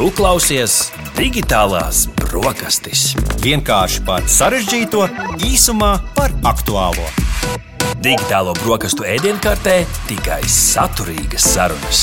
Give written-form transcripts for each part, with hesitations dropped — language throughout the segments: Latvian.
Tu klausies Digitālās brokastis. Vienkārši par sarežģīto, īsumā par aktuālo. Digitālo brokastu ēdienkartē tikai saturīgas sarunas.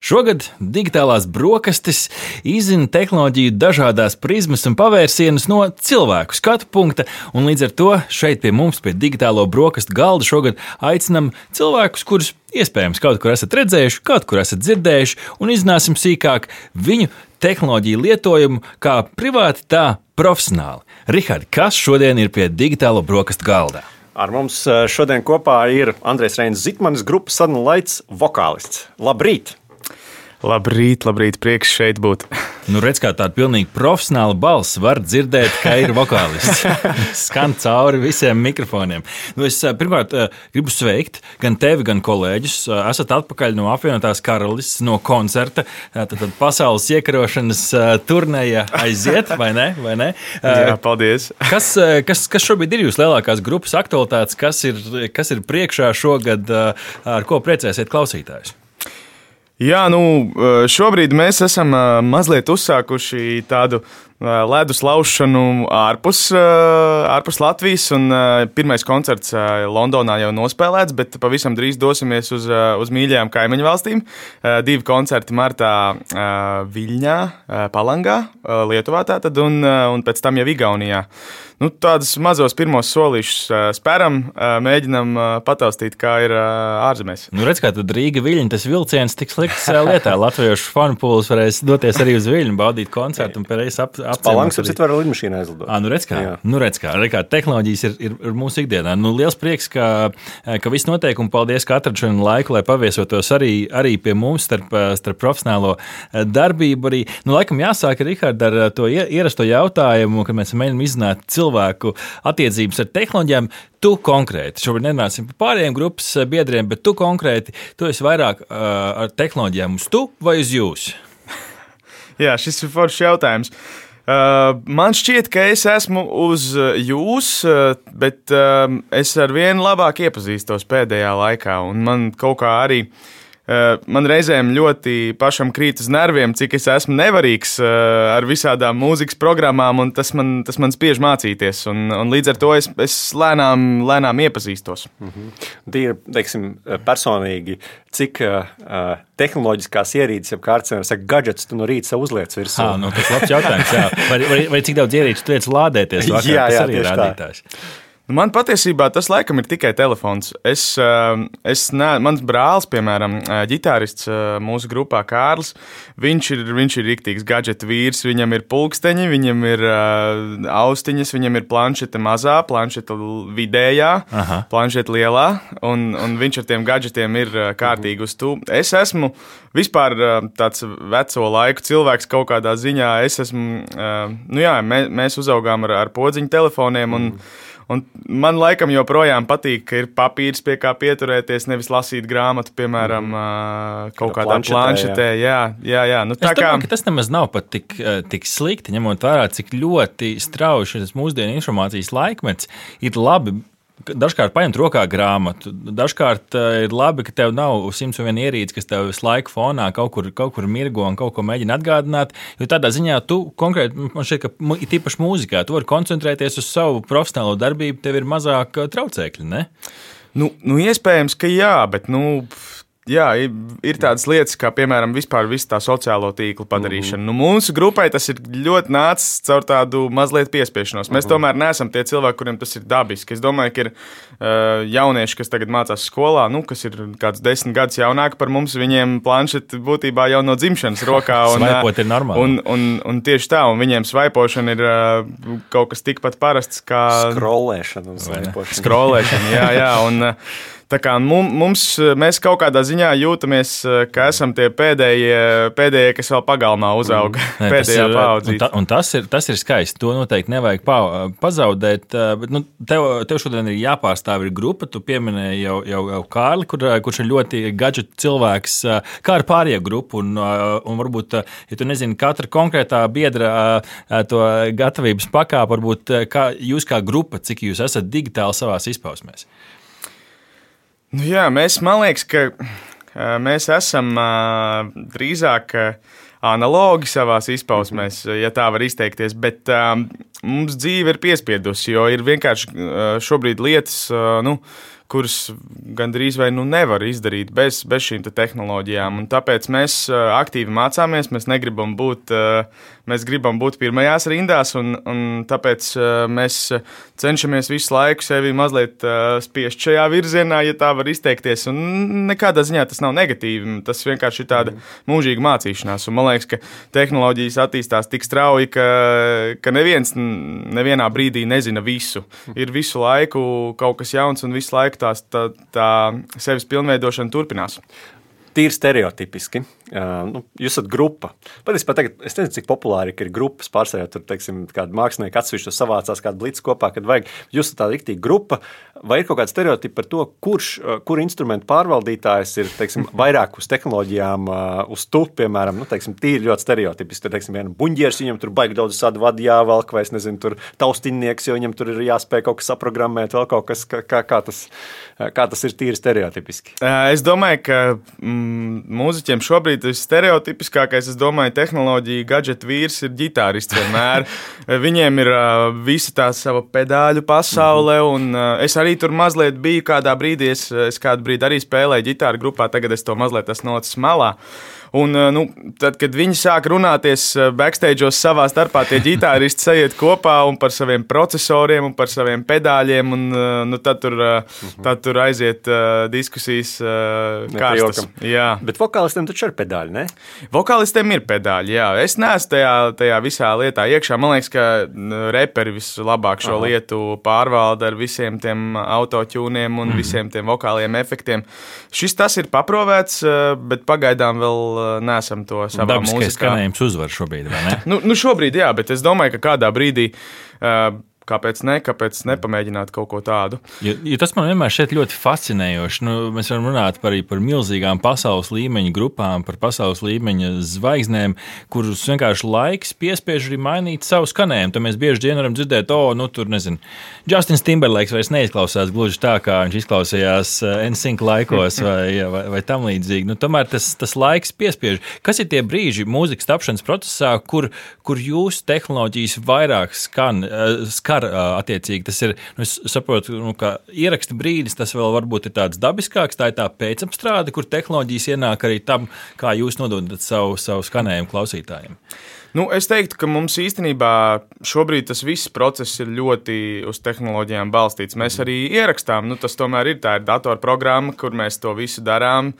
Šogad Digitālās brokastis izzina tehnoloģiju dažādās prizmas un pavērsienus no cilvēku skatu punkta, un līdz ar to šeit pie mums, pie Digitālo brokastu galda, šogad aicinam cilvēkus, kurus iespējams kaut kur esat redzējuši, kaut kur esat dzirdējuši, un izzināsim sīkāk viņu tehnoloģiju lietojumu kā privāti, tā profesionāli. Rihard, kas šodien ir pie Digitālo brokastu galdā? Ar mums šodien kopā ir Andrejs Reinis Zitmanis, grupas Sudden Lights vokālists. Labrīt! Labrīt, prieks šeit būt. Nu, redz, kā tāda pilnīgi profesionāla balss var dzirdēt, ka ir vokālists. Skan cauri visiem mikrofoniem. Nu, es pirmkārt gribu sveikt gan tevi, gan kolēģus. Esat atpakaļ no apvienotās karalistes, no koncerta. Tad pasaules iekarošanas turneja aiziet, vai ne? Jā, paldies. Kas šobrīd ir jūsu lielākās grupas aktualitātes? Kas ir priekšā šogad, ar ko priecēsiet klausītājus? Jā, šobrīd mēs esam mazliet uzsākuši tādu ledus laušanu ārpus Latvijas, un pirmais koncerts Londonā jau nospēlēts, bet pavisam drīz dosimies uz mīļajām kaimiņu valstīm. 2 koncerti martā Viļņā, Palangā, Lietuvā tātad, un pēc tam jau Igaunijā. Tādus mazos pirmos solīšus spēram, mēģinam pataustīt, kā ir ārzemēs. Redz, kā tad Rīga Viļņa, tas vilciens tiks likts lietā. Latviešu fanu pūlis varēs doties arī uz Viļņu, baudīt koncertu un pēc apciemot. Palangs apcīt var ar lidmašīnu aizlidot. Redz kā tehnoloģijas ir mūsu ikdienā. Liels prieks, ka viss notiek, un paldies, ka atrad šodien laiku, lai paviesotos arī pie mums starp profesionālo darbību. Arī, laikam jāsāk, Rihard, ar to ierasto jautājumu, kad mēs mēģinām izzināt cilvēku attiecības ar tehnoloģijām. Tu konkrēti, šobrīd nerunāsim par pārējiem grupas biedriem, bet tu konkrēti, tu esi vairāk ar tehnoloģijām uz tu vai uz jūs? Jā, šis ir foršs jautājums. Man šķiet, ka es esmu uz jūs, bet es ar vienu labāk iepazīstos pēdējā laikā, un man kaut kā arī man reizēm ļoti pašam krīt uz nerviem, cik es esmu nevarīgs ar visādām mūzikas programmām, un tas man spiež mācīties, un līdz ar to es lēnām iepazīstos. Tīri, teiksim, personīgi, cik tehnoloģiskās ierīces, ja kārtas var saka, gadgets tu no rīta savu uzliec virsū? Tas labs jautājums, jā. Vai cik daudz ierīču tu liec lādēties vakar, jā, tas arī ir tā. rādītājs. Man patiesībā tas laikam ir tikai telefons. Mans brālis, piemēram, ģitārists mūsu grupā Kārlis, viņš ir riktīgs gadžeta vīrs, viņam ir pulksteņi, viņam ir austiņas, viņam ir planšete mazā, planšete vidējā, planšete lielā, un viņš ar tiem gadžetiem ir kārtīgi uz tu. Es esmu vispār tāds veco laiku cilvēks kaut kādā ziņā. Es esmu, mēs uzaugām ar podziņu telefoniem, un man laikam joprojām patīk, ka ir papīrs, pie kā pieturēties, nevis lasīt grāmatu, piemēram, kaut kādā planšetē. Jā. Es domāju, ka tas nemaz nav pat tik slikti, ņemot vērā, cik ļoti strauji šis mūsdienu informācijas laikmets ir labi. Dažkārt paņemt rokā grāmatu, dažkārt ir labi, ka tev nav 101 ierīces, kas tev visu laiku fonā kaut kur mirgo un kaut ko mēģina atgādināt, jo tādā ziņā tu konkrēti, man šķiet, ka tīpaši mūzikā, tu vari koncentrēties uz savu profesionālo darbību, tev ir mazāk traucēkļi, ne? Iespējams, ka jā, bet, jā, ir tādas lietas, kā, piemēram, vispār visu tā sociālo tīklu padarīšana. Mūsu grupai tas ir ļoti nācis caur tādu mazliet piespiešanos. Mēs tomēr neesam tie cilvēki, kuriem tas ir dabiski. Es domāju, ka ir jaunieši, kas tagad mācās skolā, kas ir kāds 10 gadus jaunāki par mums, viņiem planšeti būtībā jau no dzimšanas rokā. Svaipot ir normāli. Un tieši tā, un viņiem svaipošana ir kaut kas tikpat parasts kā Skrolēšana. Jā, un tā kā mēs kaut kādā ziņā jūtamies, ka esam tie pēdējie, kas vēl pagalmā uzauga, pēdējā paudzīte. Un tas ir skaisti, to noteikti nevajag pazaudēt, bet tev šodien ir jāpārstāv ir grupa, tu pieminēji jau Kārli, kurš ir ļoti gadžet cilvēks, kā ar pārējo grupu, un varbūt, ja tu nezini katra konkrētā biedra to gatavības pakāpu, varbūt kā jūs kā grupa, cik jūs esat digitāli savās izpausmēs? Jā, man liekas, ka mēs esam drīzāk analogi savās izpausmēs, ja tā var izteikties, bet mums dzīve ir piespiedusi, jo ir vienkārši šobrīd lietas, kuras gandrīz vai nevar izdarīt bez šīm tehnoloģijām. Un tāpēc mēs aktīvi mācāmies, mēs gribam būt pirmajās rindās, un tāpēc mēs cenšamies visu laiku sevi mazliet spiest šajā virzienā, ja tā var izteikties. Un nekādā ziņā tas nav negatīvi, tas vienkārši ir tāda mūžīga mācīšanās. Un man liekas, ka tehnoloģijas attīstās tik strauji, ka neviens nevienā brīdī nezina visu. Ir visu laiku kaut kas jauns un visu laiku tā sevis pilnveidošana turpinās. Tīri stereotipiski. Jūs esat grupa. Patiesībā tagad es nezinu, cik populāri ir grupas. Pārsvarā tur, teiksim, kādi mākslinieki atsevišķi savācās kādu blicu kopā, kad vajag. Jūs esat tāda riktīga grupa. Vai ir kaut kāda stereotipa par to, kur instrumentu pārvaldītājs ir, teiksim, vairāk uz tehnoloģijām, uz tu, piemēram, teiksim, tīri ļoti stereotipiski. Tur, teiksim, viena buņģieris, viņam tur baigi daudz sādu vadu jāvelk, vai es nezinu, tur taustinnieks, jo viņam tur ir jāspēj kaut kas saprogrammēt, vēl kaut kas, kā tas ir tīri stereotipiski. Es domāju, ka mūziķiem šobrīd stereotipiskākais, es domāju, tehnoloģija gadžetu vīrs ir ģitārists vienmēr. Viņiem ir visa tā sava pedāļu pasaule, un es arī tur mazliet biju kādā brīdī, es kādu brīdi arī spēlēju ģitāru grupā, tagad es to mazliet esmu nolicis malā. Un, tad, kad viņi sāk runāties backstage'os savā starpā, tie ģitāristi sajiet kopā un par saviem procesoriem un par saviem pedāļiem, un tad tur aiziet diskusijas kārstas. Jā. Bet vokālistiem taču ir pedāļi, ne? Vokālistiem ir pedāļi, jā. Es neesmu tajā visā lietā iekšā. Man liekas, ka reperi vislabāk šo lietu pārvalda ar visiem tiem autotūniem un visiem tiem vokāliem efektiem. Tas ir paprovēts, bet pagaidām vēl neesam to savā mūzikā. Dabiskais skanējums uzvar šobrīd, vai ne? Šobrīd jā, bet es domāju, ka kādā brīdī kāpēc nepamēģināt kaut ko tādu? Jo tas man vienmēr šķiet ļoti fascinējoši. Mēs varam runāt arī par milzīgām pasaules līmeņa grupām, par pasaules līmeņa zvaigznēm, kurus vienkārši laiks piespiež arī mainīt savu skanējumu. Tad mēs bieži vien varam dzirdēt, tur nezinu, Justins Timberlakes vairs neizklausās gluži tā, kā viņš izklausījās NSYNC laikos vai tam līdzīgi. Tomēr tas laiks piespiež. Kas ir tie brīži mūzikas tapšanas procesā, kur jūsu tehnoloģijas vairāk skar attiecīgi? Tas ir, es saprotu, ka ieraksta brīdis, tas vēl varbūt ir tāds dabiskāks, tā ir tā pēcapstrāde, kur tehnoloģijas ienāk arī tam, kā jūs nododat savu skanējumu klausītājiem. Es teiktu, ka mums īstenībā šobrīd tas viss process ir ļoti uz tehnoloģijām balstīts. Mēs arī ierakstām, tas tomēr tā ir datorprogramma, kur mēs to visu darām.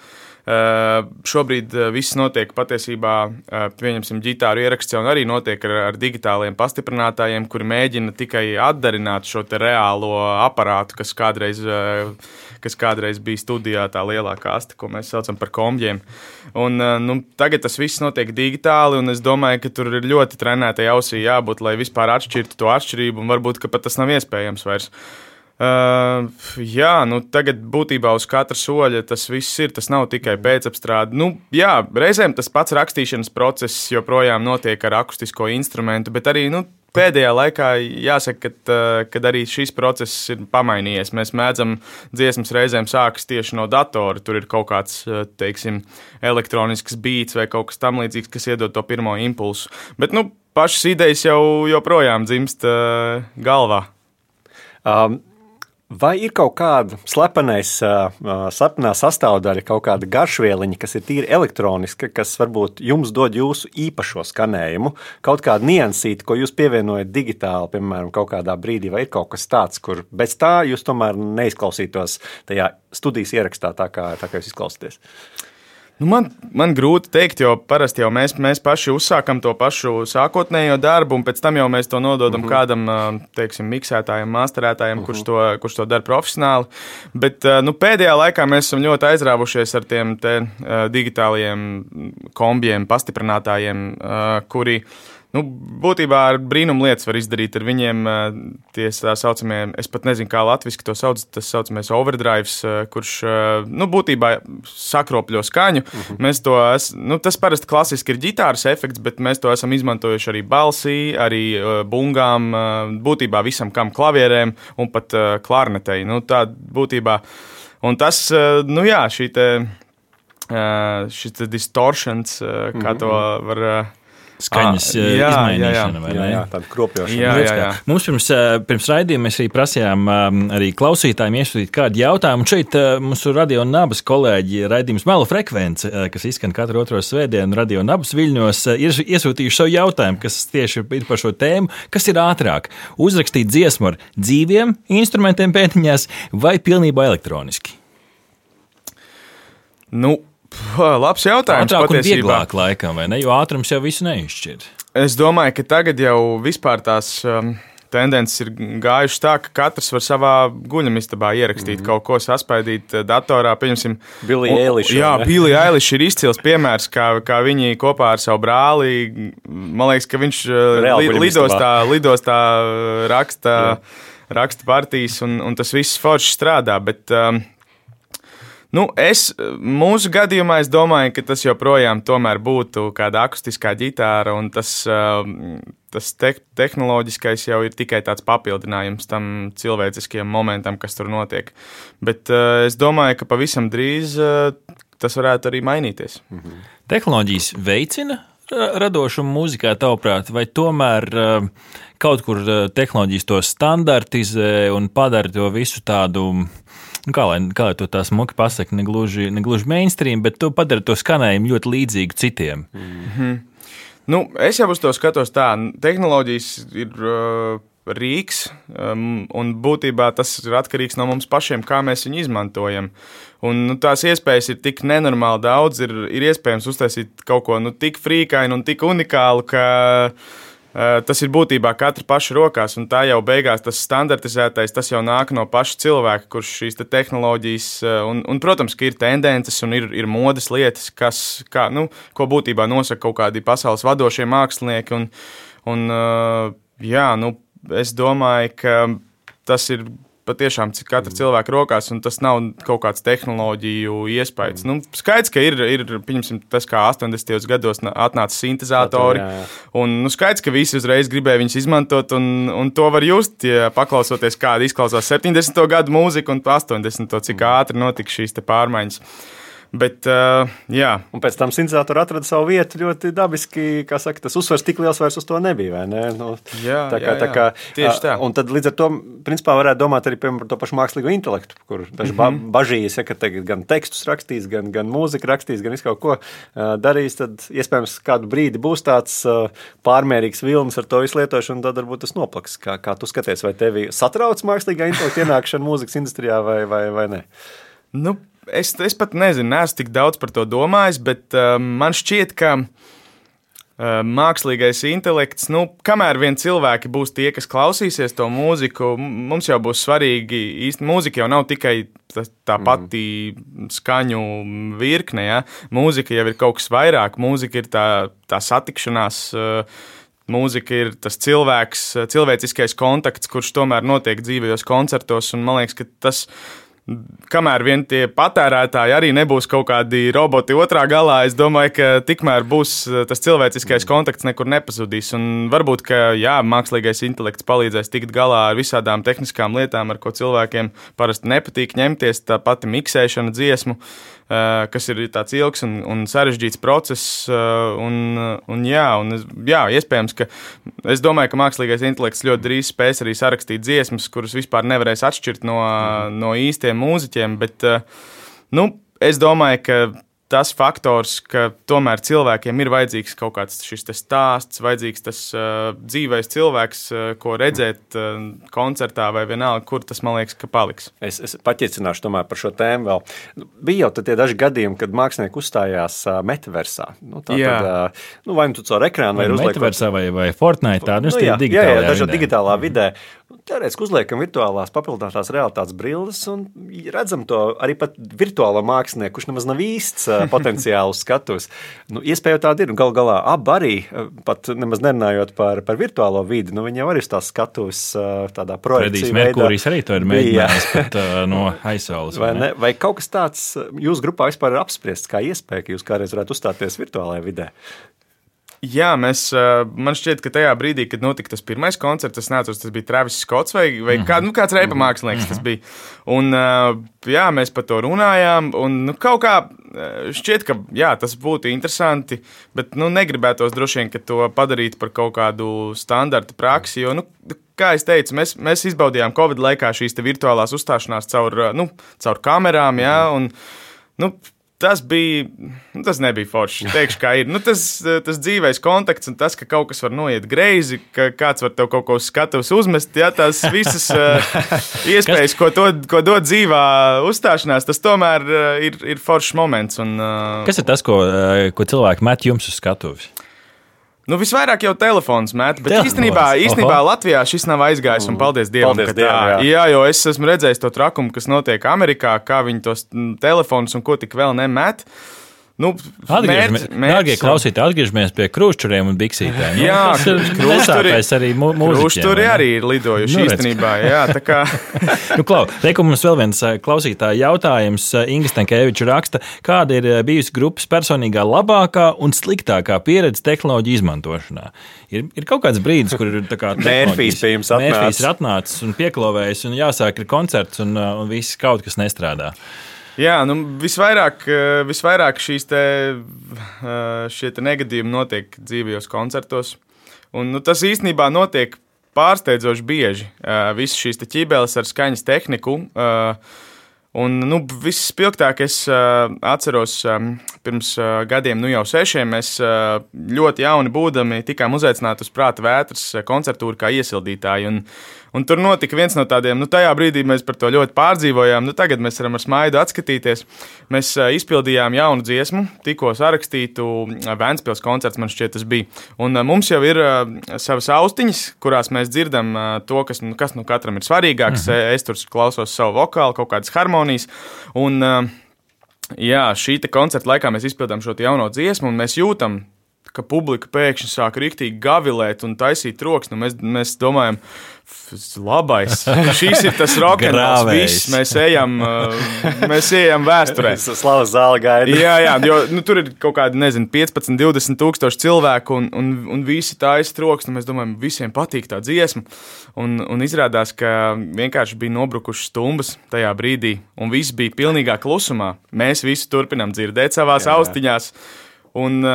Šobrīd viss notiek patiesībā, pieņemsim, ģitāru ieraksts jau arī notiek ar digitāliem pastiprinātājiem, kuri mēģina tikai atdarināt šo te reālo aparātu, kas kādreiz bija studijā, tā lielā kaste, ko mēs saucam par kombjiem. Un tagad tas viss notiek digitāli, un es domāju, ka tur ir ļoti trenētai ausī jābūt, lai vispār atšķirtu to atšķirību, un varbūt, ka pat tas nav iespējams vairs. Tagad būtībā uz katra soļa tas viss ir, tas nav tikai pēcapstrāde. Reizēm tas pats rakstīšanas process joprojām notiek ar akustisko instrumentu, bet arī, pēdējā laikā jāsaka, kad arī šis process ir pamainījies. Mēs mēdzam dziesmas reizēm sākas tieši no datora, tur ir kaut kāds, teiksim, elektronisks beats vai kaut kas tam līdzīgs, kas iedod to pirmo impulsu. Bet, pašas idejas jau joprojām dzimst galvā. Vai ir kaut kāda slepenā sastāvdaļa, kaut kāda garšvieliņa, kas ir tīri elektroniska, kas varbūt jums dod jūsu īpašo skanējumu, kaut kādu niansīti, ko jūs pievienojat digitāli, piemēram, kaut kādā brīdī, vai ir kaut kas tāds, kur bez tā jūs tomēr neizklausītos tajā studijas ierakstā tā kā jūs izklausāties? Man grūti teikt, jo parasti jau mēs paši uzsākam to pašu sākotnējo darbu, un pēc tam jau mēs to nododam kādam, teiksim, miksētājam, masterētājam, kurš to dara profesionāli. Bet pēdējā laikā mēs esam ļoti aizrāvušies ar tiem digitālajiem kombjiem, pastiprinātājiem, kuri būtībā ar brīnumu lietas var izdarīt ar viņiem. Tie tā saucamie, es pat nezinu, kā latviski to sauc, tas saucamies overdrives, kurš būtībā sakropļo skaņu. Mēs tas parasti klasiski ir ģitāras efekts, bet mēs to esam izmantojuši arī balsī, arī bungām, būtībā visam kam klavierēm un pat klarnetei. Tā būtībā. Un tas, šī te šis distortions, kā to var... Skaņas izmainīšana, vai ne? Jā, tāda kropļošana. Jā. Mums pirms raidījuma mēs arī prasījām arī klausītājiem iesūtīt kādu jautājumu. Un šeit mūsu Radio Nabas kolēģi raidījums Melu frekvence, kas izskan katru otro svētdienu Radio Nabas Viļņos, ir iesūtījuši savu jautājumu, kas tieši ir par šo tēmu. Kas ir ātrāk? Uzrakstīt dziesmu ar dzīviem instrumentiem pēdiņās vai pilnībā elektroniski? Labs jautājums. Ātrāk un vieglāk laikam, vai ne? Jo ātrums jau visu neizšķir. Es domāju, ka tagad jau vispār tās tendences ir gājušas tā, ka katrs var savā guļamistabā ierakstīt kaut ko, saspaidīt datorā. Pieņemsim, Billie Eilish. Jā, Billie Eilish ir izcils piemērs, kā viņi kopā ar savu brāli, man liekas, ka viņš lidostā raksta partijas, un tas viss forši strādā, bet... Mūsu gadījumā es domāju, ka tas joprojām tomēr būtu kāda akustiskā ģitāra, un tas tehnoloģiskais jau ir tikai tāds papildinājums tam cilvēciskajam momentam, kas tur notiek. Bet es domāju, ka pavisam drīz tas varētu arī mainīties. Tehnoloģijas veicina radošumu mūzikā, tavuprāt, vai tomēr kaut kur tehnoloģijas to standartizē un padara to visu tādu... Kā lai to tā smuki pasaka, negluži mainstream, bet tu padara to skanējumu ļoti līdzīgu citiem. Es jau uz to skatos tā. Tehnoloģijas ir rīks, un būtībā tas ir atkarīgs no mums pašiem, kā mēs viņu izmantojam. Un tās iespējas ir tik nenormāli daudz, ir iespējams uztaisīt kaut ko tik frīkainu un tik unikālu, ka... Tas ir būtībā katra paša rokās, un tā jau beigās tas standartizētais, tas jau nāk no paša cilvēka, kurš šīs tehnoloģijas, un protams, ka ir tendences un ir modes lietas, ko būtībā nosaka kaut kādi pasaules vadošie mākslinieki, es domāju, ka tas ir patiešām katra cilvēka rokās, un tas nav kaut kāds tehnoloģiju iespējas. Skaidrs, ka ir pieņemsim, tas, kā 80. gados atnāca sintezatori, un skaidrs, ka visi uzreiz gribēja viņus izmantot, un to var just, ja paklausoties, kāda izklausās 70. gadu mūzika un 80. cik ātri notika šīs te pārmaiņas. Bet, jā. Un pēc tam sintezatori atrada savu vietu ļoti dabiski, kā saka, tas uzsvars tik liels vairs uz to nebija, vai ne? Tā kā, tieši tā. Un tad līdz ar to, principā, varētu domāt arī par to pašu mākslīgo intelektu, kur daži bažījas, ka tagad gan tekstus rakstīs, gan mūziku rakstīs, gan visu kaut ko darīs, tad iespējams kādu brīdi būs tāds pārmērīgs vilnis ar to visu lietošanu, tad varbūt tas noplaks. Kā tu skaties, vai tevi satrauc mākslīgā intelekta ienākšana mūzikas industrijā vai ne? Es pat nezinu, neesmu tik daudz par to domājis, bet man šķiet, ka mākslīgais intelekts, kamēr vien cilvēki būs tie, kas klausīsies to mūziku, mums jau būs svarīgi, īsti mūzika jau nav tikai tā pati skaņu virkne, ja? Mūzika jau ir kaut kas vairāk, mūzika ir tā satikšanās, mūzika ir tas cilvēciskais kontakts, kurš tomēr notiek dzīvajos koncertos, un man liekas, ka tas... Kamēr vien tie patērētāji arī nebūs kaut kādi roboti otrā galā, es domāju, ka tikmēr būs tas cilvēciskais kontakts nekur nepazudīs. Un varbūt, ka mākslīgais intelekts palīdzēs tikt galā ar visādām tehniskām lietām, ar ko cilvēkiem parasti nepatīk ņemties, tā pati miksēšana dziesmu, kas ir tāds ilgs un sarežģīts process. Iespējams, ka es domāju, ka mākslīgais intelekts ļoti drīz spēs arī sarakstīt dziesmas, kuras vispār nevarēs atšķirt no īstiem mūziķiem, bet es domāju, ka tas faktors, ka tomēr cilvēkiem ir vajadzīgs kaut kāds šis stāsts, vajadzīgs tas dzīvais cilvēks, ko redzēt koncertā vai vienalga, kur tas, man liekas, ka paliks. Es paķicināšu tomēr par šo tēmu vēl. Bija jau tie daži gadījumi, kad mākslinieki uzstājās metaversā. Vai tu caur ekrānu vai uzliekot... Metaversā vai Fortnite, tādu digitālā vidē. Teorētiski uzliekam virtuālās papildinātās realitātes brilles un redzam to arī pat virtuālo mākslinieku, kurš nemaz nav īsts potenciāls skatus. Iespēja tāda ir. Galu galā abi arī, pat nemaz nerunājot par virtuālo vidi, viņi jau arī uz tās skatus tādā projekciju veidā. Fredijs Merkūrijs arī to ir mēģinājis pat no aizsaules. Vai kaut kas tāds jūsu grupā vispār ir apspriests kā iespēja, ka jūs kādreiz varētu uzstāties virtuālajā vidē? Jā, man šķiet, ka tajā brīdī, kad notika tas pirmais koncerts, tas bija Travis Scotts vai kāds reipa mākslinieks tas bija. Un jā, mēs par to runājām, un kaut kā šķiet, ka jā, tas būtu interesanti, bet negribētos droši vien, ka to padarīt par kaut kādu standarta praksi, jo, kā es teicu, mēs izbaudījām Covid laikā šīs te virtuālās uzstāšanās caur kamerām, jā, un, tas nebija forši, teikšu, kā ir. Tas dzīvais kontakts un tas, ka kaut kas var noiet greizi, ka kāds var tev kaut ko uz skatuves uzmest, jā, tās visas iespējas, ko dod dzīvā uzstāšanās, tas tomēr ir foršs moments. Un, kas ir tas, ko cilvēki met jums uz skatuves? Visvairāk jau telefons met, bet īstenībā Latvijā šis nav aizgājis, un paldies Dievam, ka tā. Jā, jo es esmu redzējis to trakumu, kas notiek Amerikā, kā viņi tos telefonus un ko tik vēl nemet. Dārgie klausītāji, atgriežamies pie krūšķuriem un biksītēm. Jā, krūšķuri arī ir lidojuši īstenībā. Jā, tā kā. Reiku mums vēl viens klausītāja jautājums. Inga Stankēviča raksta, kāda ir bijusi grupas personīgā labākā un sliktākā pieredze tehnoloģiju izmantošanā? Ir kaut kāds brīdis, kur ir tā kā Mērfijs pie jums ir atnācis un pieklāvējis un jāsāk ir koncerts un viss kaut kas nestrādā. Jā, visvairāk šie negadījumi notiek dzīvajos koncertos. Un, tas īstenībā notiek pārsteidzoši bieži. Visas šīs ķībeles ar skaņas tehniku. Un visspilgtāk es atceros pirms gadiem, jau 6, mēs ļoti jauni būdami tikām uzaicināti uz Prāta vētras koncertūru kā iesildītāji. Un tur notika viens no tādiem, tajā brīdī mēs par to ļoti pārdzīvojām, tagad mēs varam ar smaidu atskatīties. Mēs izpildījām jaunu dziesmu, tikko sarakstītu Ventspils koncerts, man šķiet tas bija. Un mums jau ir savas austiņas, kurās mēs dzirdam to, kas katram ir svarīgāks. Es tur klausos savu vokālu, kaut kādas harmonijas. Un jā, šī koncerta laikā mēs izpildām šo jauno dziesmu, un mēs jūtam, ka publika pēkšņi sāk riktīgi gavilēt un taisīt troksni. Mēs domājam, labais, šis ir tas rokenrols, viss, mēs ejam vēsturē. Slavas zāle gaida. Jā, jo tur ir kaut kādi, 15, 20 tūkstoši cilvēku un visi taisa troksni. Mēs domājam, visiem patīk tā dziesma. Un izrādās, ka vienkārši bija nobrukušas stumbas tajā brīdī, un viss bija pilnīgā klusumā. Mēs visi turpinām dzirdēt savās austiņās. Un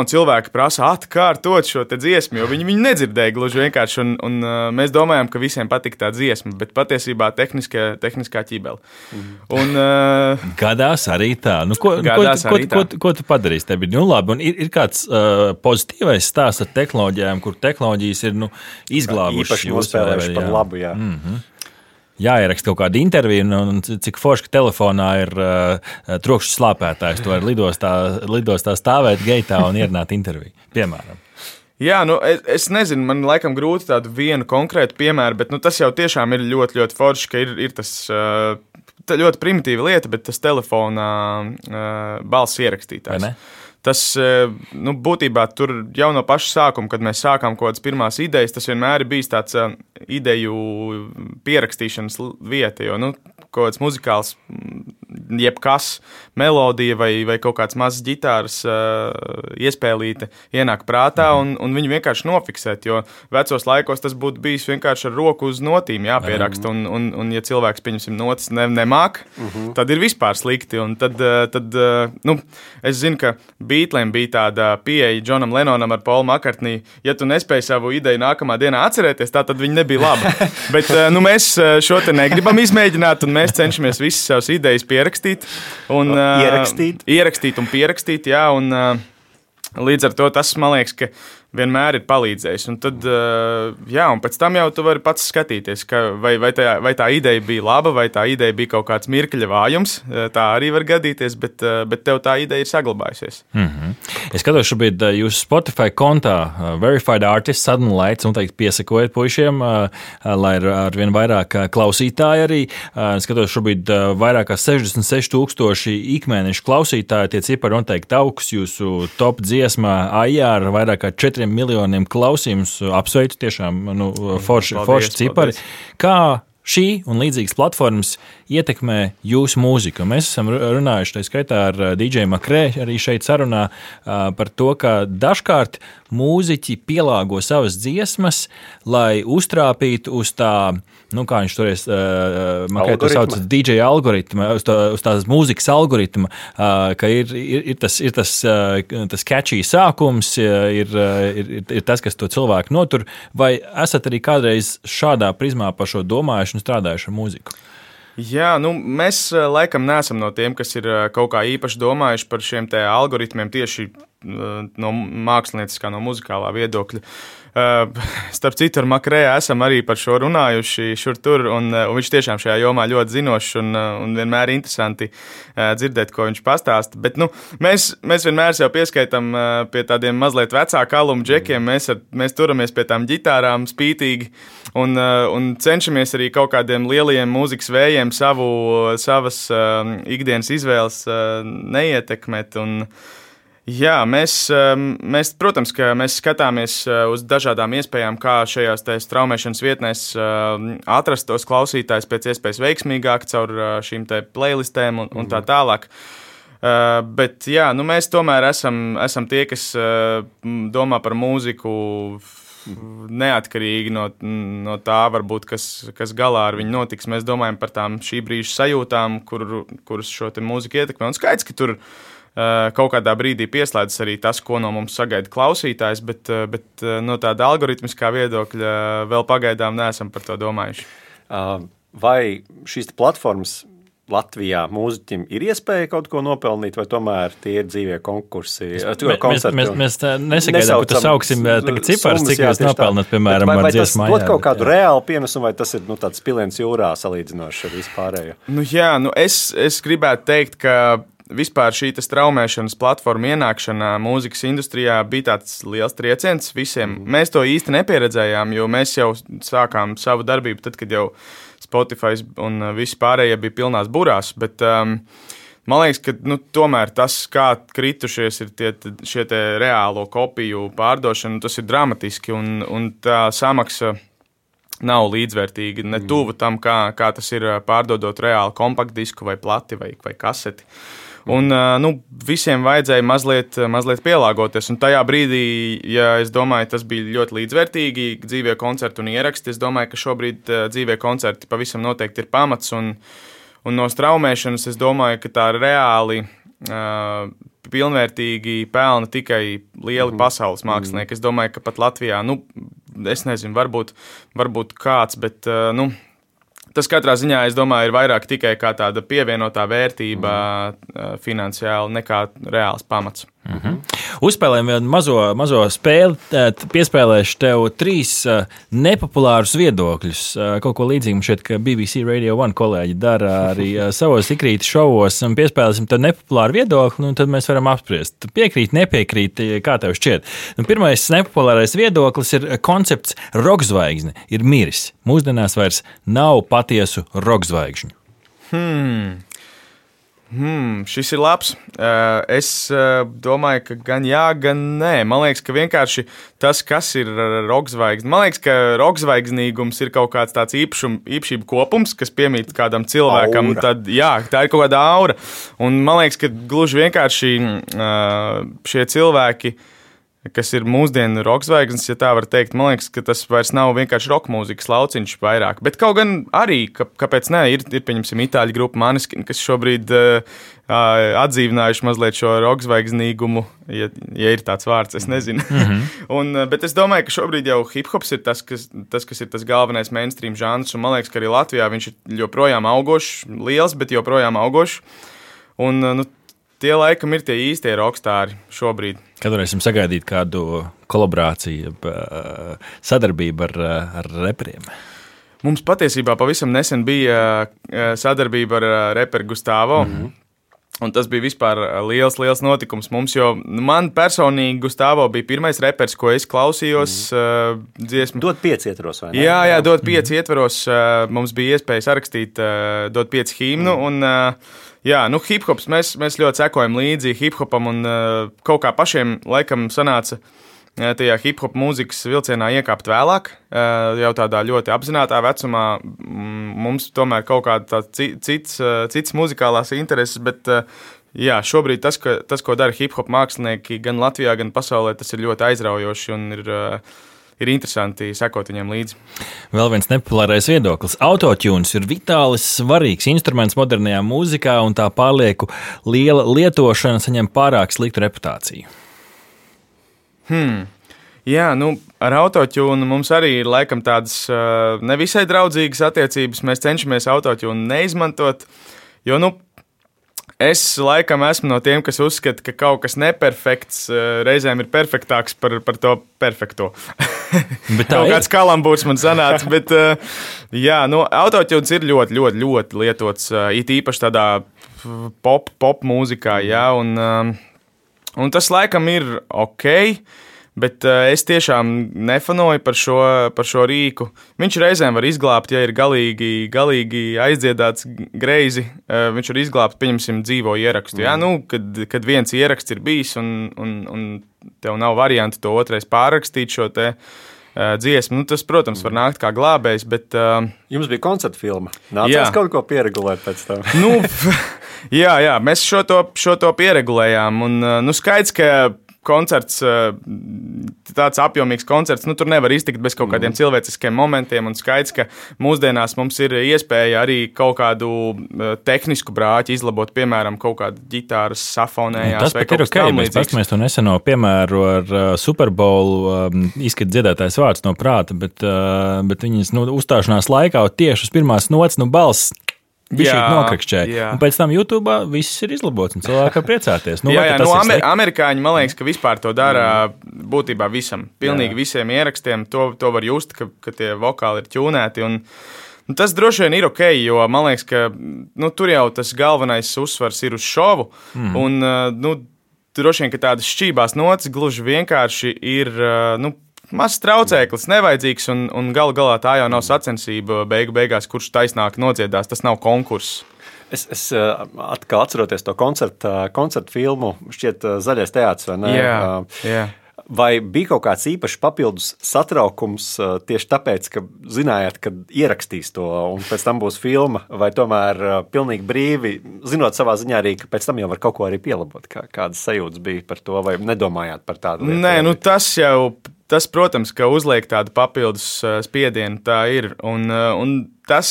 cilvēki prasa atkārtot šo dziesmu, jo viņi nedzirdēja gluži vienkārši. Un mēs domājam, ka visiem patīk tā dziesma, bet patiesībā tehniskā ķībele. Gadās arī tā. Ko tu padarīsi? Tev ir labi. Un ir kāds pozitīvais stāsts ar tehnoloģijām, kur tehnoloģijas ir izglābušas. Īpaši nospēlējuši par labu, jā. Jāieraksta kaut kāda intervija, un cik forši, ka telefonā ir trokšņa slāpētājs. Tu vari lidostā stāvēt geitā un ierunāt interviju, piemēram. Jā, es nezinu, man laikam grūti tādu vienu konkrētu piemēru, bet tas jau tiešām ir ļoti, ļoti forši, ka ir tas ļoti primitīva lieta, bet tas telefonā balss ierakstītājs. Tas būtībā tur jau no paša sākuma, kad mēs sākām kaut kādas pirmās idejas, tas vienmēr ir bijis tāds ideju pierakstīšanas vieta, jo kaut kāds muzikāls, jebkas, melodija vai kaut kāds mazs ģitāras iespēlīte ienāk prātā un viņu vienkārši nofiksēt, jo vecos laikos tas būtu bijis vienkārši ar roku uz notīm jāpieraksta, un ja cilvēks, pieņemsim, notis nemāk, tad ir vispār slikti, un tad es zinu, ka Beatliem bija tāda pieeja Džonam Lennonam ar Paulu Makartniju. Ja tu nespēji savu ideju nākamā dienā atcerēties, tad viņi nebija laba. Bet mēs šo te negribam izmēģināt, un mēs cenšamies visas savas idejas pierakstīt. Ierakstīt un pierakstīt, jā. Un līdz ar to tas, man liekas, ka vienmēr ir palīdzējis. Un tad, un pēc tam jau tu vari pats skatīties, vai tā ideja bija laba, vai tā ideja bija kaut kāds mirkļa vājums. Tā arī var gadīties, bet tev tā ideja ir saglabājusies. Es skatos šobrīd jūsu Spotify kontā Verified Artists, Sudden Lights, un teikt piesakojiet puišiem, lai ar vien vairāk klausītāji arī. Skatos šobrīd vairāk kā 66,000 ikmēnešu klausītāji, tie cipari noteikti augs, jūsu top dziesmā AIR vairāk kā 4 miljoniem klausījumus. Apsveicu tiešām forši cipari. Kā šī un līdzīgas platformas ietekmē jūsu mūziku. Mēs esam runājuši tā skaitā ar DJ Makrē arī šeit sarunā par to, ka dažkārt mūziķi pielāgo savas dziesmas, lai uztrāpītu uz tā, kā viņš toreiz Makrē to sauc, DJ algoritma, uz tās mūzikas algoritma, ka ir tas catchy sākums, ir tas, kas to cilvēku notur. Vai esat arī kādreiz šādā prizmā par šo domājuši un strādājuši ar mūziku? Jā, mēs laikam neesam no tiem, kas ir kaut kā īpaši domājuši par šiem te algoritmiem tieši no mākslinieckā, no muzikālā viedokļa. Starp citu, ar Makrē esam arī par šo runājuši šur tur, un viņš tiešām šajā jomā ļoti zinošs un vienmēr interesanti dzirdēt, ko viņš pastāsta. Bet mēs vienmēr sev pieskaitam pie tādiem mazliet vecāku alumu džekiem, mēs turamies pie tām ģitārām spītīgi un cenšamies arī kaut kādiem lielajiem mūzikas vējiem savas ikdienas izvēles neietekmēt. Jā, mēs, protams, ka mēs skatāmies uz dažādām iespējām, kā šajās straumēšanas vietnēs atrast tos klausītājus pēc iespējas veiksmīgāk caur šīm te playlistēm un tā tālāk. Bet jā, mēs tomēr esam tie, kas domā par mūziku neatkarīgi no tā, varbūt, kas galā ar viņu notiks. Mēs domājam par tām šī brīža sajūtām, kuras šo te mūziku ietekmē. Un skaidrs, ka tur kaut kādā brīdī pieslēdzas arī tas, ko no mums sagaida klausītājs, bet no tāda algoritmiskā viedokļa vēl pagaidām neesam par to domājuši. Vai šīs platformas Latvijā mūziķim ir iespēja kaut ko nopelnīt, vai tomēr tie ir dzīvie konkursi? Mēs nesagaidām, ka tu sauksim tagad ciparus, cik jūs nopelnat, piemēram, ar dziesmu mājā. Vai tas dod kaut kādu reālu pienesumu, vai tas ir tāds piliens jūrā salīdzinoši ar vispārējo? Es gribētu teikt, ka vispār šī straumēšanas platforma ienākšana mūzikas industrijā bija tāds liels trieciens visiem. Mēs to īsti nepieredzējām, jo mēs jau sākām savu darbību tad, kad jau Spotify un visi pārējie bija pilnās burās, bet man liekas, ka tomēr tas, kā kritušies ir šie reālo kopiju pārdošana, tas ir dramatiski un tā samaksa nav līdzvērtīga, ne tuvu tam, kā tas ir pārdodot reāli kompaktdisku vai plati vai kaseti. Un visiem vajadzēja mazliet pielāgoties. Un tajā brīdī, ja es domāju, tas bija ļoti līdzvērtīgi, dzīvie koncerti un ieraksti, es domāju, ka šobrīd dzīvie koncerti pavisam noteikti ir pamats. Un no straumēšanas es domāju, ka tā reāli pilnvērtīgi pelna tikai lieli pasaules mākslinieki. Es domāju, ka pat Latvijā, es nezinu, varbūt kāds, bet tas katrā ziņā, es domāju, ir vairāk tikai kā tāda pievienotā vērtība finansiāli nekā reāls pamats. Uzspēlējam vienu mazo spēli, piespēlēšu tev 3 nepopulārus viedokļus. Kaut ko līdzīgu šeit, ka BBC Radio 1 kolēģi dara arī savos ikrīti šovos. Piespēlēsim tev nepopulāru viedokli, un tad mēs varam apspriest. Piekrīt, nepiekrīt, kā tev šķiet. Pirmais nepopulārais viedoklis ir koncepts rockzvaigzne ir miris. Mūsdienās vairs nav patiesu rockzvaigžņu. Šis ir labs. Es domāju, ka gan jā, gan nē. Man liekas, ka vienkārši tas, kas ir rockzvaigzne. Man liekas, ka rockzvaigznīgums ir kaut kāds tāds īpašību kopums, kas piemīt kādam cilvēkam. Tad, jā, tā ir kaut kāda aura. Un man liekas, ka gluži vienkārši šie cilvēki, kas ir mūsdienu rockzvaigznes, ja tā var teikt, man liekas, ka tas vairs nav vienkārši rock mūzikas lauciņš vairāk. Bet kaut gan arī, kāpēc ne, ir pieņemsim itāļu grupa Maneskin, kas šobrīd atdzīvinājuši mazliet šo rockzvaigznīgumu, ja ir tāds vārds, es nezinu. Bet es domāju, ka šobrīd jau hip-hops ir tas, kas ir tas galvenais mainstream žanrs, un man liekas, ka arī Latvijā viņš ir joprojām augošs, liels, bet joprojām augošs. Un tie laikam ir tie īstie rockstāri šobrīd. Kad varēsim sagaidīt kādu kolaborāciju, sadarbību ar reperiem? Mums patiesībā pavisam nesen bija sadarbība ar reperu Gustavo. Un tas bija vispār liels notikums mums, jo man personīgi Gustavo bija pirmais repers, ko es klausījos dziesmu. Dod 5 ietvaros, vai ne? Jā, Dod 5 ietvaros. Mums bija iespēja sarakstīt Dod 5 himnu, un hip-hops, mēs ļoti sekojam līdzi hip-hopam, un kaut kā pašiem laikam sanāca tajā hip-hop mūzikas vilcienā iekāpt vēlāk, jau tādā ļoti apzinātā vecumā. Mums tomēr kaut kāda cits muzikālās intereses, bet jā, šobrīd tas, ko dara hip-hop mākslinieki gan Latvijā, gan pasaulē, tas ir ļoti aizraujoši un ir interesanti sekot viņiem līdzi. Vēl viens nepopulārais viedoklis. Autotunes ir vitāli svarīgs instruments modernajā mūzikā, un tā pārlieku liela lietošana saņem pārāk sliktu reputāciju. Jā, ar autotune mums arī ir laikam tādas nevisai draudzīgas attiecības. Mēs cenšamies autotune neizmantot, jo, es laikam esmu no tiem, kas uzskata, ka kaut kas neperfekts reizēm ir perfektāks par to perfekto. Kaut kāds kalambūrs man sanāca, bet jā, autotunes ir ļoti, ļoti, ļoti lietots, it īpaši tādā pop mūzikā, jā, un tas laikam ir ok, bet es tiešām nefanoju par šo rīku. Viņš reizēm var izglābt, ja ir galīgi aizdziedāts greizi. Viņš var izglābt, pieņemsim, dzīvo ierakstu. Jā, kad viens ieraksts ir bijis un tev nav variantu to otrais pārrakstīt šo te dziesmu. Tas, protams, var nākt kā glābējs, bet... Jums bija koncerta filma. Nācās kaut ko pieregulēt pēc tam. Jā, mēs šo to pieregulējām. Un skaidrs, ka koncerts, tāds apjomīgs koncerts, tur nevar iztikt bez kaut kādiem cilvēciskiem momentiem, un skaidrs, ka mūsdienās mums ir iespēja arī kaut kādu tehnisku brāķi izlabot, piemēram, kaut kādu ģitāras safonējās vai kaut kas tam līdzīgs. Mēs paskatāmies to neseno piemēru ar Super Bowl, izskat dziedātājs vārds no prāta, bet viņas uzstāšanās laikā tieši uz pirmās nots, balss Bišķīt nokrakšķēja. Un pēc tam YouTube viss ir izlabots un cilvēki var priecāties. Amerikāņi, man liekas, ka vispār to dara būtībā visam. Pilnīgi visiem ierakstiem. To var just, ka tie vokāli ir ķūnēti. Un tas droši vien ir ok, jo man liekas, ka tur jau tas galvenais uzsvars ir uz šovu. Un droši vien, ka tādas šķībās notis gluži vienkārši ir... mazs traucēklis, nevajadzīgs, un galu galā tā jau nav sacensība beigās, kurš taisnāk nodziedās. Tas nav konkurss. Es atkal atceroties to koncertu filmu, šķiet Zaļais teātris, vai ne? Jā. Vai bija kaut kāds īpašs papildus satraukums tieši tāpēc, ka zinājāt, ka ierakstīs to un pēc tam būs filma, vai tomēr pilnīgi brīvi, zinot savā ziņā arī, ka pēc tam jau var kaut ko arī pielabot? Kādas sajūtas bija par to, vai nedomājāt par tādu lietu? Nē, tas, protams, ka uzliek tādu papildus spiedienu, tā ir, un tas,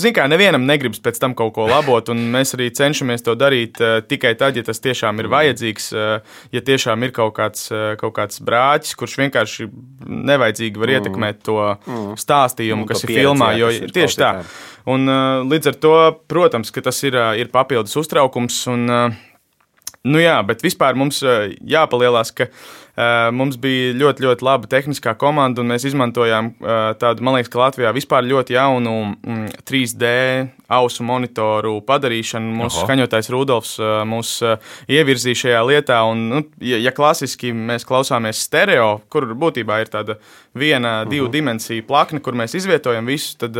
zin kā, nevienam negribas pēc tam kaut ko labot, un mēs arī cenšamies to darīt tikai tad, ja tas tiešām ir vajadzīgs, ja tiešām ir kaut kāds brāķis, kurš vienkārši nevajadzīgi var ietekmēt to stāstījumu, kas ir filmā, jo tieši tā. Un līdz ar to, protams, ka tas ir papildus uztraukums, un bet vispār mums jāpalielās, ka mums bija ļoti, ļoti laba tehniskā komanda, un mēs izmantojām tādu, man liekas, ka Latvijā vispār ļoti jaunu 3D ausu monitoru padarīšanu. Mūsu skaņotājs Rudolfs mūs ievirzīja šajā lietā, un, ja klasiski mēs klausāmies stereo, kur būtībā ir tāda divu dimensiju plakne, kur mēs izvietojam visu, tad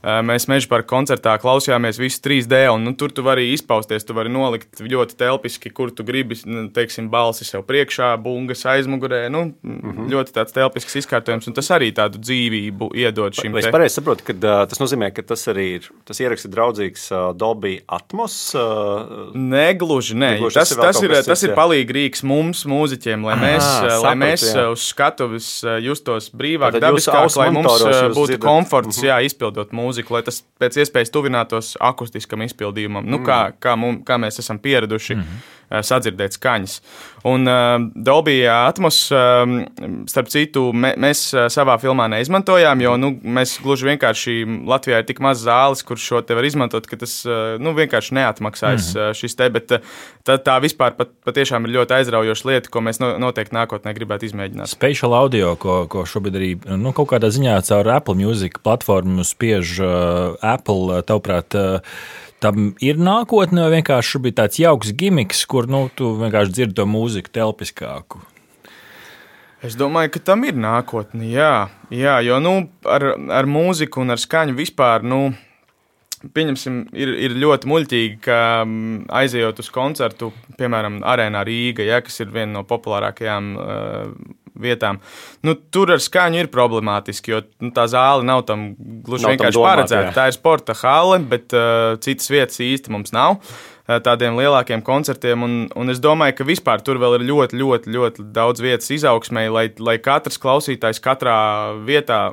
mēs Mežaparka koncertā klausījāmies visu 3D, un tur tu vari izpausties, tu vari nolikt ļoti telpiski, kur tu gribi, teiksim, balsi sev priekšā, bungas aizmugurē, ļoti tāds telpisks izkārtojums, un tas arī tādu dzīvību iedod šim te. Es pareizi saprotu, ka tas nozīmē, ka tas arī ir, tas ieraksts ir draudzīgs Dolby Atmos? Negluži, nē. Tas ir palīgi rīks mums, mūziķiem, lai mēs uz skatuves justos brīvāk, dabiskāk, lai mums būtu komforts, izpildot mūziku, lai tas pēc iespējas tuvinātos akustiskam izpildījumam, kā mēs esam pieraduši sadzirdēt skaņas. Un Dolby Atmos, starp citu, mēs savā filmā neizmantojām, jo mēs gluži vienkārši Latvijā ir tik maz zāles, kur šo te var izmantot, ka tas vienkārši neatmaksājas šis te, bet tā vispār patiešām ir ļoti aizraujoša lieta, ko mēs noteikti nākotnē gribētu izmēģināt. Spatial audio, ko šobrīd arī kaut kādā ziņā caur Apple Music platformu spiež Apple, tavuprāt, tam ir nākotne, vai vienkārši bija tāds jauks gimiks, kur tu vienkārši dzirdi to mūziku telpiskāku? Es domāju, ka tam ir nākotne, jā, jo ar mūziku un ar skaņu vispār, pieņemsim, ir ļoti muļķīgi, ka aizejot uz koncertu, piemēram, Arēnā Rīga, kas ir viena no populārākajām vietām. Tur ar skaņu ir problemātiski, jo tā zāle nav tam gluži vienkārši paredzēta. Tā ir sporta hale, bet citas vietas īsti mums nav tādiem lielākiem koncertiem, un es domāju, ka vispār tur vēl ir ļoti, ļoti, ļoti daudz vietas izaugsmei, lai katrs klausītājs katrā vietā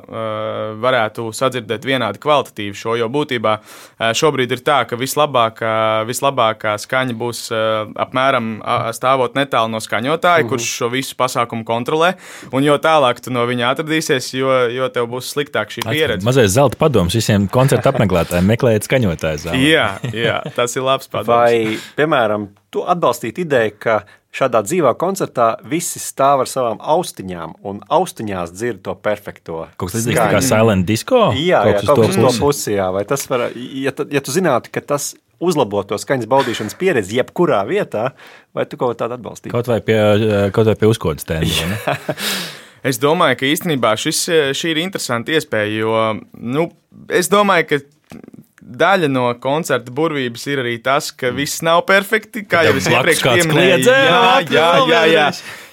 varētu sadzirdēt vienādi kvalitatīvu šo, jo būtībā šobrīd ir tā, ka vislabākā skaņa būs apmēram stāvot netālu no skaņotāja, kurš šo visu pasākumu kontrolē, un jo tālāk tu no viņa atradīsies, jo tev būs sliktāk šī pieredze. Mazais zelta padoms visiem koncertu apmeklētājiem, meklējiet skaņotāju zāli. Jā, tas ir labs padoms. Vai, piemēram, tu atbalstītu ideju, ka šādā dzīvā koncertā visi stāv ar savām austiņām un austiņās dzird to perfekto Kaut kas līdzīgs kā silent disco? Jā, kaut kas uz to pusi, jā. Vai tas var, ja tu zinātu, ka tas uzlabo to skaņas baudīšanas pieredzi jebkurā vietā, vai tu kaut tādu atbalstītu? Kaut vai pie uzkodas tēma, ne? Es domāju, ka īstenībā šī ir interesanta iespēja, jo, es domāju, ka daļa no koncerta burvības ir arī tas, ka viss nav perfekti, kā jau es iepriekš pieminēju. Jā.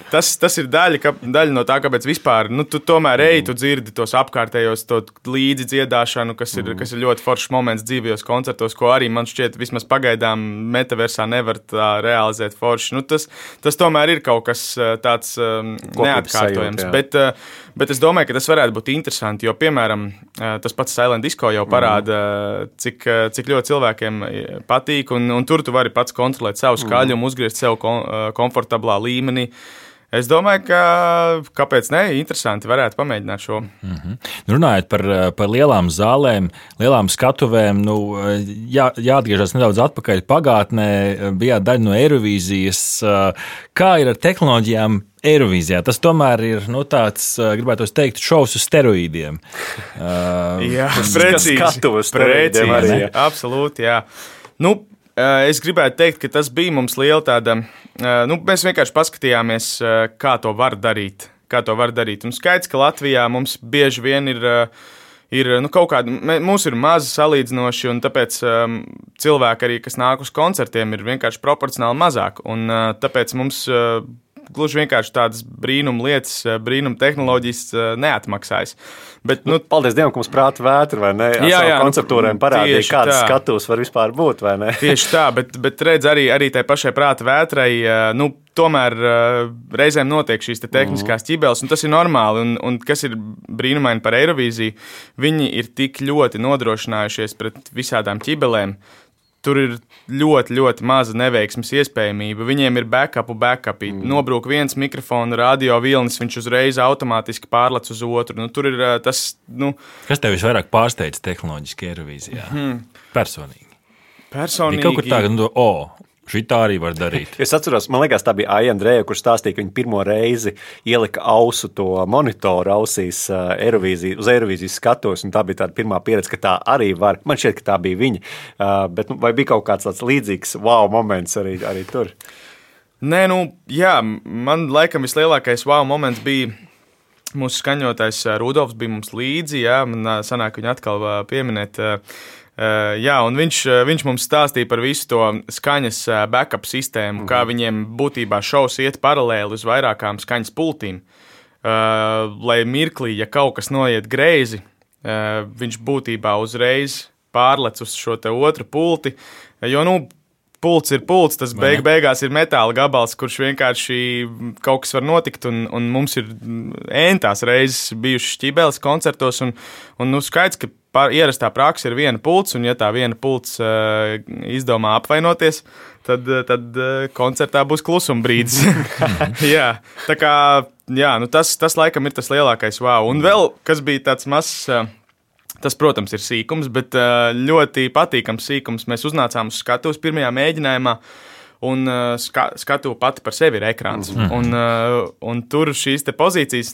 Tas ir daļa no tā, kāpēc vispār, tu tomēr tu dzirdi tos apkārtējos, to līdzi dziedāšanu, kas ir ļoti foršs moments dzīvajos koncertos, ko arī man šķiet vismaz pagaidām metaversā nevar tā realizēt forši. Tas tomēr ir kaut kas tāds neatkārtojams, bet es domāju, ka tas varētu būt interesanti, jo, piemēram, tas pats Silent Disco jau parāda, cik ļoti cilvēkiem patīk, un tur tu vari pats kontrolēt savu skaļumu, uzgriezt sev komfortablā līmenī. Es domāju, ka kāpēc ne, interesanti varētu pamēģināt šo. Runājot par lielām zālēm, lielām skatuvēm, jāatgriežas nedaudz atpakaļ pagātnē, bijāt daļa no Eirovīzijas. Kā ir ar tehnoloģijām Eirovīzijā? Tas tomēr ir tāds, gribētu teikt, šovs uz steroīdiem. Jā, precīzi. Absolūti, jā. Es gribētu teikt, ka tas bija mums liela tāda, mēs vienkārši paskatījāmies, kā to var darīt. Un skaidrs, ka Latvijā mums bieži vien ir kaut kāda, mūs ir mazi salīdzinoši, un tāpēc cilvēki arī, kas nāk uz koncertiem, ir vienkārši proporcionāli mazāk. Un tāpēc mums gluži vienkārši tādas brīnum lietas, brīnum tehnoloģijas neatmaksājas. Bet, paldies Dievam, ka mums prāta vētra, vai ne? Konceptūrēm parādīja, kādas skatuves var vispār būt, vai ne? Tieši tā, bet redz arī tai pašai prāta vētrai, tomēr reizēm notiek šīs tehniskās ķibeles, un tas ir normāli, un kas ir brīnumaini par Eirovīziju, viņi ir tik ļoti nodrošinājušies pret visādām ķibelēm. Tur ir ļoti, ļoti maza neveiksmes iespējamība. Viņiem ir backupi. Nobrūk viens mikrofona radio vilnis, viņš uzreiz automātiski pārlec uz otru. Tur ir tas. Kas tev visvairāk pārsteidz tehnoloģiski Eirovīzijā? Personīgi. Personīgi. Kaut kur tā, šitā arī var darīt. Es atceros, man liekas, tā bija Aija Andreja, kurš stāstīja, ka viņa pirmo reizi ielika ausu to monitoru ausīs uz Eirovīzijas skatos, un tā bija tāda pirmā pieredze, ka tā arī var. Man šķiet, ka tā bija viņa. Bet vai bija kaut kāds tāds līdzīgs wow moments arī tur? Nē, man laikam vislielākais wow moments bija mūsu skaņotājs Rudolfs bija mums līdzi, man sanāk viņu atkal pieminēt. Un viņš mums stāstīja par visu to skaņas backup sistēmu, kā viņiem būtībā šovs iet paralēli uz vairākām skaņas pultīm. Lai mirklī, ja kaut kas noiet greizi, viņš būtībā uzreiz pārlec uz šo te otru pulti, jo, pults ir pults, tas beigās ir metāla gabals, kurš vienkārši kaut kas var notikt, un mums ir entās reizes bijušas ķibeles koncertos, un skaidrs, ka ierastā praksa ir viena pults, un ja tā viena pults izdomā apvainoties, tad koncertā būs klusuma brīdis. Jā, tā kā, tas laikam ir tas lielākais wow. Un vēl, kas bija tāds mazs, tas, protams, ir sīkums, bet ļoti patīkams sīkums. Mēs uznācām uz skatuves pirmajā mēģinājumā, un skatuve pati par sevi ir ekrāns. Un tur šīs te pozīcijas,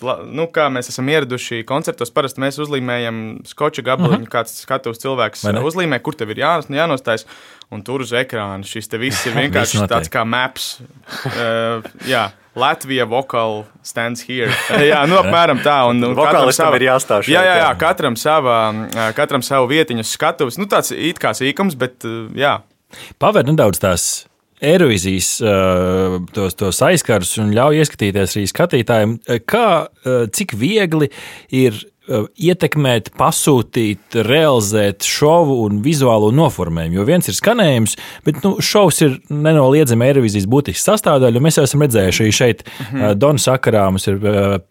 kā mēs esam ieraduši koncertos, parasti mēs uzlīmējam skoča gabaliņu, kāds skatuves cilvēks uzlīmē, kur tev ir jānostājas, un tur uz ekrāna šis te viss ir vienkārši tāds kā maps. Latvija vocal stands here. Apmēram tā. Un vokālistam ir jāstāv šeit. Jā, katram savu vietiņu skatuves. Tāds it kā sīkums, bet jā. Pavēr nedaudz tās Eirovīzijas tos aizkarus un ļauj ieskatīties arī skatītājiem, cik viegli ir ietekmēt, pasūtīt, realizēt šovu un vizuālo noformējumu. Jo viens ir skanējums, bet šovs ir nenoliedzami Eirovīzijas būtisks sastāvdaļa. Mēs jau esam redzējuši šeit Dona sakarā. Mums ir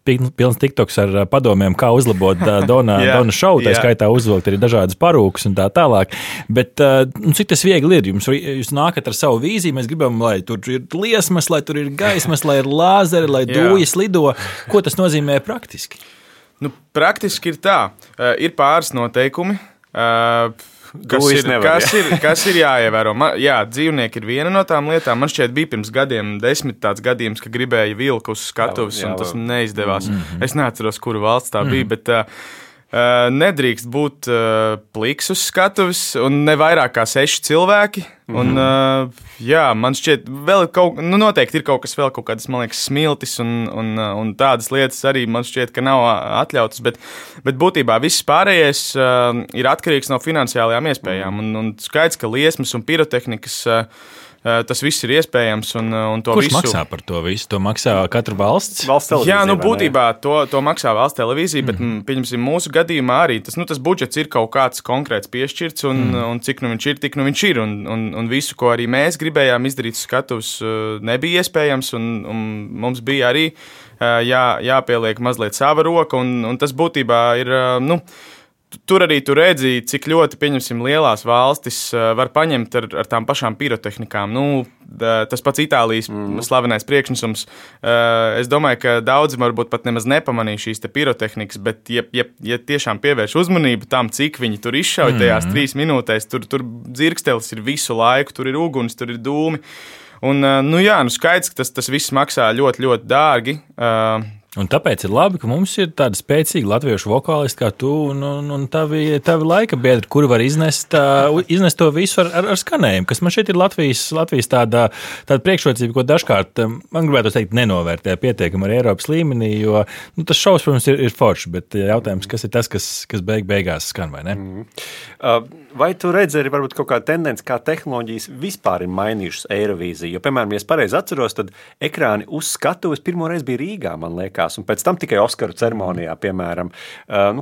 pilns TikToks ar padomiem, kā uzlabot Dona šovu. Tā skaitā uzvilkt arī dažādas parūkas un tā tālāk. Bet cik tas viegli ir? Jūs nākat ar savu vīziju, mēs gribam, lai tur ir liesmas, lai tur ir gaismas, lai ir lāzeri, lai dūjas lido. Ko tas nozīmē praktiski? Praktiski ir tā, ir pāris noteikumi, kas ir jāievēro. Dzīvnieki ir viena no tām lietām. Man šķiet, bija pirms gadiem 10 tāds gadījums, ka gribēja vilku uz skatuves, un tas neizdevās. Es neatceros, kuru valsts tā bija, bet nedrīkst būt pliks uz skatuves un ne vairāk kā 6 cilvēki. Un, man šķiet, vēl noteikti ir kaut kas vēl, kaut kādas, man liekas, smiltis un tādas lietas arī man šķiet, ka nav atļautas, bet būtībā viss pārējais ir atkarīgs no finansiālajām iespējām. Un skaidrs, ka liesmas un pirotehnikas tas viss ir iespējams. Kurš maksā par to visu? To maksā katra valsts? Valsts televīzija. Jā, būtībā to maksā valsts televīzija, bet pieņemsim, mūsu gadījumā arī tas budžets ir kaut kāds konkrēts piešķirts, un cik viņš ir, tik viņš ir. Un visu, ko arī mēs gribējām izdarīt uz skatuves, nebija iespējams, un mums bija arī jāpieliek mazliet sava roka, un tas būtībā ir, tur arī tu redzi, cik ļoti, pieņemsim, lielās valstis var paņemt ar tām pašām pirotehnikām. Tas pats Itālijas slavenais priekšnesums. Es domāju, ka daudzi varbūt pat nemaz nepamanīja šīs te pirotehnikas, bet ja tiešām pievērš uzmanību tam, cik viņi tur izšauj tajās 3 minūtēs, tur dzirkstelis ir visu laiku, tur ir uguns, tur ir dūmi. Un, skaidrs, ka tas viss maksā ļoti, ļoti dārgi. Un tāpēc ir labi, ka mums ir tāda spēcīga latviešu vokālisti kā tu un tavi laika biedri, kuri var iznest to visu ar skanējumu, kas man šeit ir Latvijas tāda priekšrocība, ko dažkārt, man gribētu teikt, nenovērtē pietiekami ar Eiropas līmenī, jo tas šovs, protams, ir forši, bet jautājums, kas ir tas, kas beigās skan, vai ne? Vai tu redzi arī varbūt kaut kāda tendence, kā tehnoloģijas vispār ir mainījušas Eirovīziju? Jo, piemēram, ja es pareizi atceros, tad ekrāni uz skatuves pirmoreiz bija Rīgā, man liekas, un pēc tam tikai Oskaru ceremonijā, piemēram.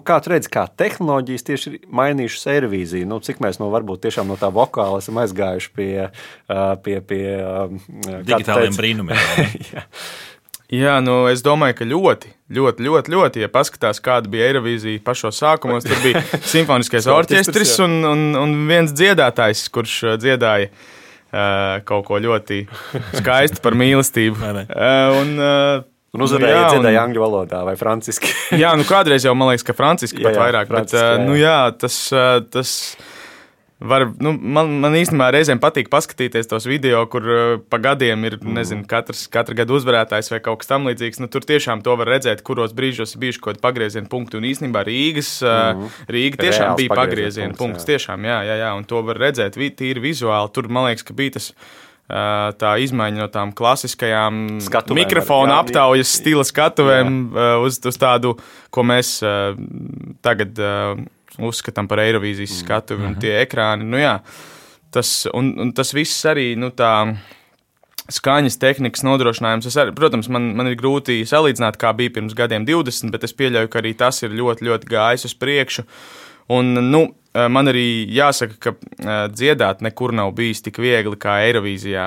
Kā tu redzi, kā tehnoloģijas tieši ir mainījušas Eirovīziju? Cik mēs varbūt tiešām no tā vokāla esam aizgājuši pie digitāliem brīnumiem. Jā, es domāju, ka ļoti, ja paskatās, kāda bija Eirovīzija pašos sākumos, tur bija simfoniskais orķestris un viens dziedātājs, kurš dziedāja kaut ko ļoti skaistu par mīlestību. Un uzvarēja dziedāja angļu valodā vai franciski. Jā, kādreiz jau man liekas, ka franciski pat vairāk, bet tas var, man īstenībā reizēm patīk paskatīties tos video, kur pa gadiem ir, katra gada uzvarētājs vai kaut kas tam līdzīgs. Tur tiešām to var redzēt, kuros brīžos ir bijuši kaut kādi pagrieziena punkti. Un īstenībā Rīga tiešām bija pagrieziena punkts. Tiešām, jā, un to var redzēt tīri vizuāli. Tur, man liekas, ka bija tas tā izmaiņa no tām klasiskajām mikrofona aptaujas stila skatuvēm uz tādu, ko mēs tagad uzskatām par Eirovīzijas skatuvi un tie ekrāni. Tas viss arī, tā skaņas tehnikas nodrošinājums. Protams, man ir grūti salīdzināt, kā bija pirms gadiem 20, bet es pieļauju, ka arī tas ir ļoti, ļoti gājis uz priekšu. Un, man arī jāsaka, ka dziedāt nekur nav bijis tik viegli kā Eirovīzijā,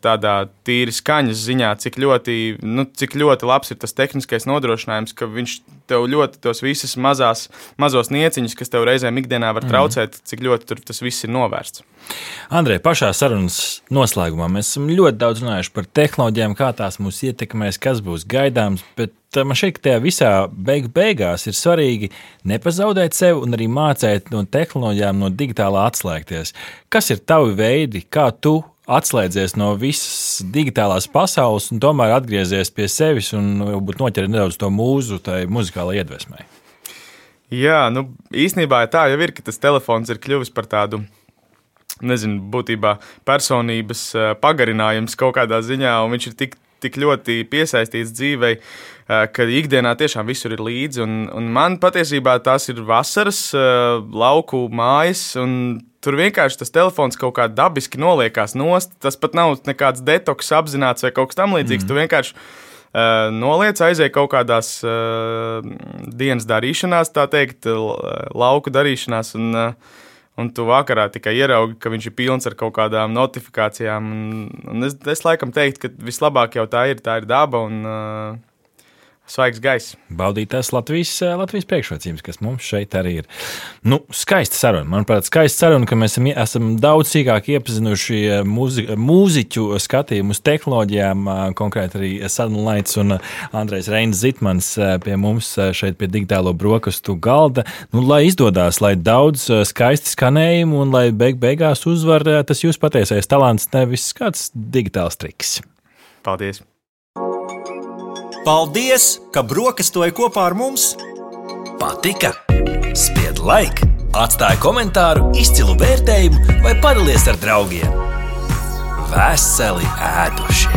tādā tīri skaņas ziņā, cik ļoti labs ir tas tehniskais nodrošinājums, ka viņš tev ļoti tos visas mazos nieciņus, kas tev reizēm ikdienā var traucēt, cik ļoti tur tas viss ir novērsts. Andrej, pašā sarunas noslēgumā mēs esam ļoti daudz runājuši par tehnoloģijām, kā tās mūs ietekmēs, kas būs gaidāms, bet man šeit, ka tajā visā beigās ir svarīgi nepazaudēt sevi un arī mācēt no tehnoloģijām, no digitālā atslēgties. Kas ir tavi veidi, kā tu atslēdzies no visas digitālās pasaules un tomēr atgriezies pie sevis un varbūt noķer nedaudz to mūzu tai muzikālai iedvesmai? Jā, īstenībā tā jau ir, ka tas telefons ir kļuvis par tādu, būtībā personības pagarinājums kaut kādā ziņā, un viņš ir tik ļoti piesaistīts dzīvei, ka ikdienā tiešām visur ir līdzi. Un man patiesībā tās ir vasaras lauku mājas, un tur vienkārši tas telefons kaut kā dabiski noliekās nost. Tas pat nav nekāds detoks apzināts vai kaut kas tam līdzīgs. Tu vienkārši noliec, aizēj kaut kādās dienas darīšanās, tā teikt, lauku darīšanās, un tu vakarā tikai ieraugi, ka viņš ir pilns ar kaut kādām notifikācijām. Un es laikam teiktu, ka vislabāk jau tā ir daba un svaigs gaiss. Baudīt tās Latvijas priekšrocības, kas mums šeit arī ir. Skaista saruna. Manuprāt, skaista saruna, ka mēs esam daudz sīkāk iepazinuši mūziķu skatījumu uz tehnoloģijām, konkrēti arī Sadonlaits un Andrejs Reinis Zitmans pie mums šeit pie digitālo brokastu galda. Lai izdodās, lai daudz skaisti skanējumu un lai beigās uzvar tas jūs patiesais talants, nevis kāds digitāls triks. Paldies! Paldies, ka brokastoji kopā ar mums! Patika? Spied like, atstāj komentāru, izcilu vērtējumu vai padalies ar draugiem. Veseli ēduši!